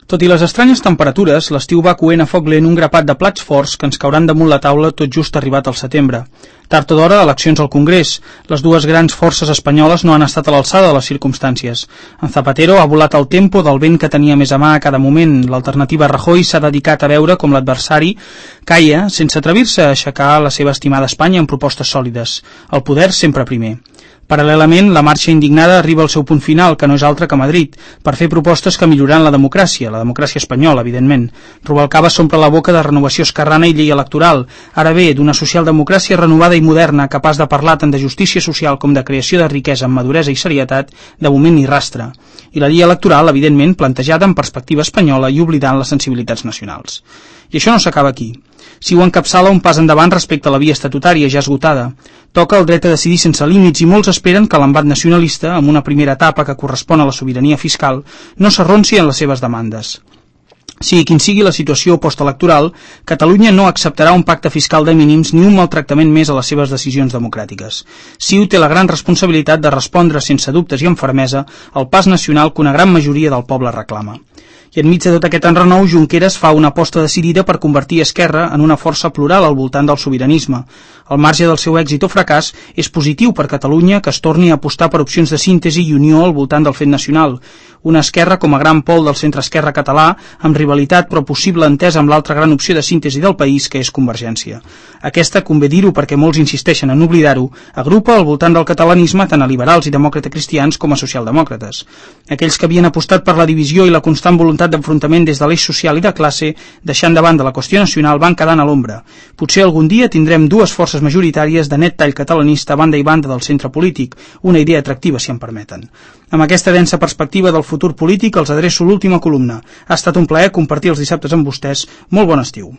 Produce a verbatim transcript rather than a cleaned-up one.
Tot i les estranyes temperatures, l'estiu va coent a foc lent un grapat de plats forts que ens cauran damunt la taula tot just arribat al setembre. Tard o d'hora, eleccions al Congrés. Les dues grans forces espanyoles no han estat a l'alçada de les circumstàncies. En Zapatero ha volat el tempo del vent que tenia més a mà a cada moment. L'alternativa Rajoy s'ha dedicat a veure com l'adversari caia sense atrevir-se a aixecar la seva estimada Espanya amb propostes sòlides. El poder sempre primer. Paral·lelament, la marxa indignada arriba al seu punt final, que no és altre que Madrid, per fer propostes que milloraran la democràcia, la democràcia espanyola, evidentment. Rubalcaba s'omple la boca de renovació esquerrana i llei electoral. Ara bé, d'una socialdemocràcia renovada i moderna, capaç de parlar tant de justícia social com de creació de riquesa amb maduresa i serietat, de moment ni rastre. I la llei electoral, evidentment, plantejada en perspectiva espanyola i oblidant les sensibilitats nacionals. I això no s'acaba aquí. Si ho encapçala un pas endavant respecte a la via estatutària ja esgotada. Toca el dret a decidir sense límits i molts esperen que l'embat nacionalista, amb una primera etapa que correspon a la sobirania fiscal, no s'arronsi en les seves demandes. Sigui quin sigui la situació postelectoral, Catalunya no acceptarà un pacte fiscal de mínims ni un maltractament més a les seves decisions democràtiques. CiU té la gran responsabilitat de respondre sense dubtes i amb fermesa al pas nacional que una gran majoria del poble reclama. I enmig de tot aquest enrenou, Junqueras fa una aposta decidida per convertir Esquerra en una força plural al voltant del sobiranisme. Al marge del seu èxit o fracàs, és positiu per Catalunya que es torni a apostar per opcions de síntesi i unió al voltant del fet nacional. Una esquerra com a gran pol del centre-esquerra català, amb rivalitat però possible entesa amb l'altra gran opció de síntesi del país, que és Convergència. Aquesta, convé dir-ho perquè molts insisteixen en oblidar-ho, agrupa al voltant del catalanisme tant a liberals i demòcrates cristians com a socialdemòcrates. Aquells que havien apostat per la divisió i la constant voluntat d'enfrontament des de l'eix social i de classe, deixant de banda la qüestió nacional, van quedant a l'ombra. Potser algun dia tindrem dues forces majoritàries de net tall catalanista a banda i banda del centre polític, una idea atractiva si em permeten. Amb aquesta densa perspectiva del futur polític els adreço l'última columna. Ha estat un plaer compartir els dissabtes amb vostès. Molt bon estiu.